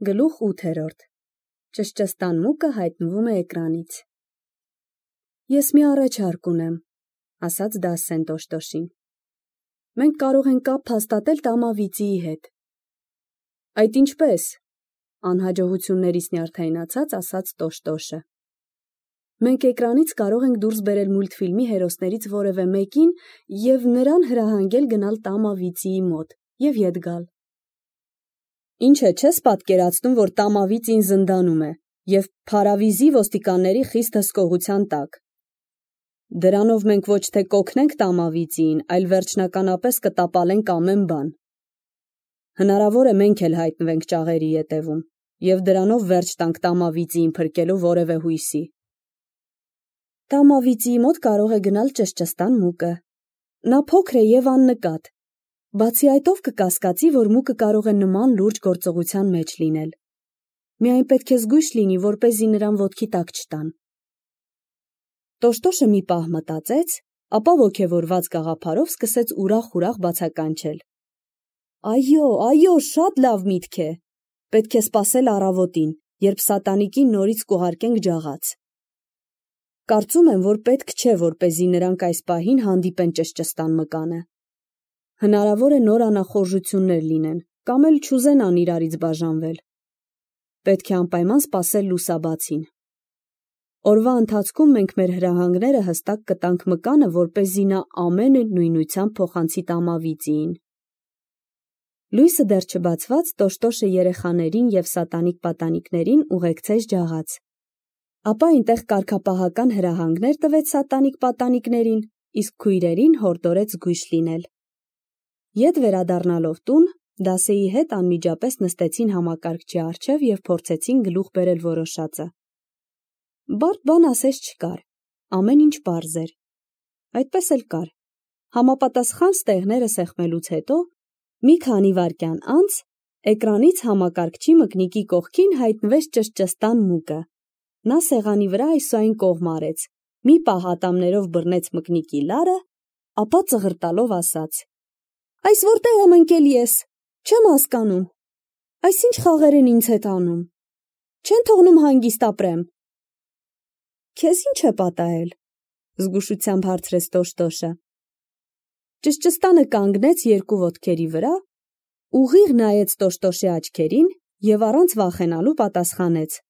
Գլուխ 8. Ճշճստան մուկը հայտնվում է էկրանից։ Ես մի առաջարկ ունեմ, ասաց Դասսեն Տոշտոշին։ Մենք կարող ենք կապ հաստատել Տամավիծիի հետ։ Այդ ինչպես, անհաջողություններից նյարդայնացած ասաց Տոշտոշը։ Մենք էկրանից կարող ենք դուրս բերել մուլտֆիլմի հերոսներից որևէ մեկին և նրան հրահանգել գնալ Տամավիծիի մոտ և ետ գալ։ Ինչ է չես պատկերացնում, որ Տամավիծին զնդանում է և Փարավիզի ոստիկանների խիստ հսկողության տակ։ Դրանով մենք ոչ թե կօգնենք Տամավիծիին, այլ վերջնականապես կտապալենք ամեն բան։ Հնարավոր է մենք էլ հայտնվենք ճաղերի ետևում և դրանով վերջ տանք Տամավիծիին փրկելու որևէ հույսի։ Տամավիծիի մոտ կարող է գնալ ճշճստան մուկը։ Նա փոքր է և աննկատ։ Բացի այդ ով կկասկածի, որ մուկը կարող է նման լուրջ գործողության մեջ լինել։ Միայն պետք է զգույշ լինի, որպեսզի նրան ոտքի տակ չտան։ Տոշտոշը մի պահ մտածեց, ապա ոգևորված գաղափարով սկսեց ուրախ բացականչել։ Այո, շատ լավ միտք է։ Պետք է սպասել առավոտին, երբ սատանիկին նորից կուղարկենք ջաղաց։ Կարծում եմ, որ պետք չէ, որպեսզի նրանք այս պահին հանդիպեն ճշճստան մկանը։ Հնարավոր է նոր անախորժություններ լինեն, կամ էլ չուզենան իրարից բաժանվել։ Պետք է անպայման սպասել լուսաբացին։ Օրվա ընթացքում մենք մեր հրահանգները հստակ կտանք մկանը, որպեսզի նա ամեն նույնությամբ փոխանցի Տամավիծիին։ Լույսը դեռ չբացված Տոշտոշը երեխաներին և սատանիկ պատանիկներին ուղեկցեց ջաղաց։ Ապա այնտեղ կարգապահական հրահանգներ տվեց սատանիկ պատանիկներին, իսկ քույրերին հորդորեց զգույշ լինել։ Ետ վերադառնալով տուն, Դասեի հետ անմիջապես նստեցին համակարգչի առջև և փորձեցին գլուխ բերել որոշածը։ Բարդ բան ասես չկար, ամեն ինչ պարզ էր։ Այդպես էլ կար։ Համապատասխան ստեղները սեղմելուց հետո, մի քանի վայրկյան անց, էկրանից համակարգչի մկնիկի կողքին հայտնվեց ճշճստան մուկը։ Նա սեղանի վրա այսուայն կողմ արեց, մի պահ ատամներով բռնեց մկնիկի լարը, ապա ծղրտալով ասաց. Այս որտեղ եմ ընկել ես, չեմ հասկանում, այս ինչ խաղեր են ինձ հետ անում, չեն թողնում հանգիստ ապրեմ։ Քեզ ինչ է պատահել, զգուշությամբ հարցրեց Տոշտոշը։ Ճշճստանը կանգնեց երկու ոտքերի վրա, ուղիղ նայեց Տոշտոշի աչքերին և առանց վախենալու պատասխանեց.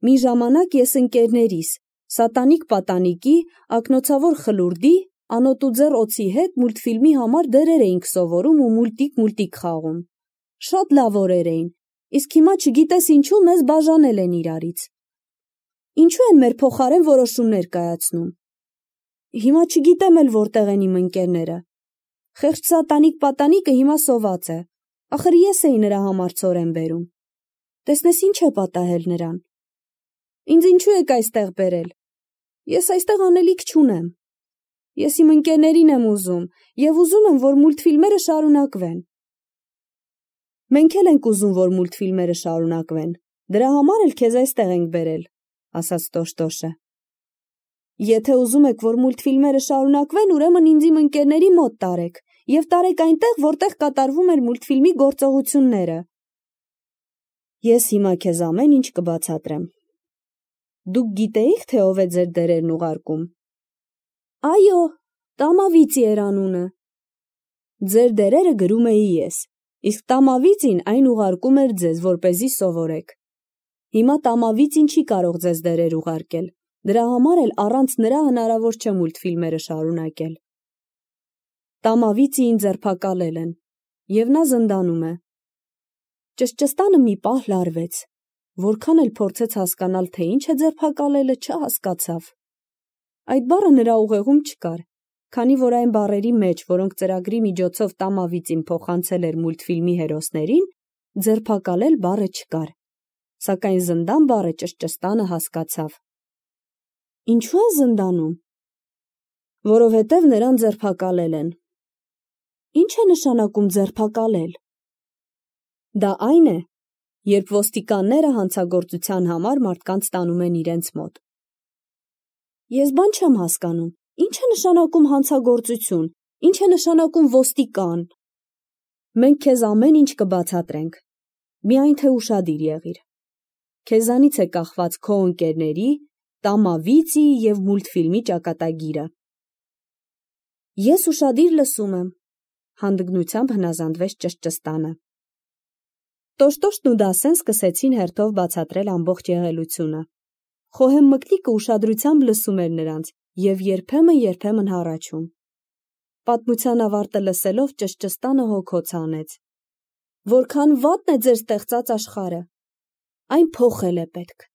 Մի ժամանակ ես ընկերներիս, սատանիկ պատանիկի, ակնոցավոր խլուրդի, անոթուձեռ օձի հետ մուլտֆիլմի համար դերեր էինք սովորում ու մուլտիկ խաղում։ Շատ լավ օրեր էին, իսկ հիմա չգիտես ինչու մեզ բաժանել են իրարից։ Ինչու են մեր փոխարեն որոշումներ կայացնում։ Հիմա չգիտեմ էլ որտեղ են իմ ընկերները։ Խեղճ սատանիկ պատանիկը հիմա սոված է, ախր ես էի նրա համար ցորեն բերում։ Տեսնես ինչ է պատահել նրան։ Ինձ ինչու եք այստեղ բերել։ Ես այստեղ անելիք չունեմ։ Ես իմ ընկերներին եմ ուզում և ուզում եմ, որ մուլտֆիլմերը շարունակվեն։ Մենք էլ ենք ուզում, որ մուլտֆիլմերը շարունակվեն, դրա համար էլ քեզ այստեղ ենք բերել, ասաց Տոշտոշը։ Եթե ուզում եք, որ մուլտֆիլմերը շարունակվեն, ուրեմն ինձ իմ ընկերների մոտ տարեք և տարեք այնտեղ, որտեղ կատարվում էր մուլտֆիլմի գործողությունները։ Ես հիմա քեզ ամեն ինչ կբացատրեմ։ Դուք գիտեիք, թե ով է ձեր դերերն ուղարկում։ Այո, Տամավիծի էր անունը։ Ձեր դերերը գրում էի ես, իսկ Տամավիծին այն ուղարկում էր ձեզ, որպեսզի սովորեք։ Հիմա Տամավիծին չի կարող ձեզ դերեր ուղարկել, դրա համար էլ առանց նրա հնարավոր չէ մուլտֆիլմերը շարունակել։ Տամավիծիին ձերբակալել են, և նա զնդանում է։ Ճշճստանը մի պահ լարվեց, որքան էլ փորձեց հասկանալ, թե ինչ է ձերբակալելը, չհասկացավ։ Այդ բառը նրա ուղեղում չկար, քանի որ այն բառերի մեջ, որոնք ծրագրի միջոցով Տամավիծին փոխանցել էր մուլտֆիլմի հերոսներին, ձերբակալել բառը չկար, սակայն զնդան բառը ճշճստանը հասկացավ։ Ինչու են զնդանում։ Որովհետև նրան ձերբակալել են։ Ինչ է նշանակում ձերբակալել։ Դա այն է, երբ ոստիկանները հանցագործության համար մարդկանց տանում են իրենց մոտ։ Ես բան չեմ հասկանում, ինչ է նշանակում հանցագործություն, ինչ է նշանակում ոստիկան։ Մենք քեզ ամեն ինչ կբացատրենք։ Միայն թե ուշադիր եղիր։ Քեզանից է կախված քո ընկերների, տամավիցի և մուլտֆիլմի ճակատագիրը։ Ես ուշադիր լսում եմ, հանդգնությամբ հնազանդվեց ճշճստանը։ Տոշտոշտն ու Դասեն սկսեցին հերթով բացատրել ամբողջ եղելությունը։ Խոհեմ մկնիկը ուշադրությամբ լսում էր նրանց և երբեմն հառաչում։ Պատմության ավարտը լսելով ճշճստանը հոգոց հանեց։ Որքան վատն է ձեր ստեղծած աշխարհը։ Այն փոխել է պետք։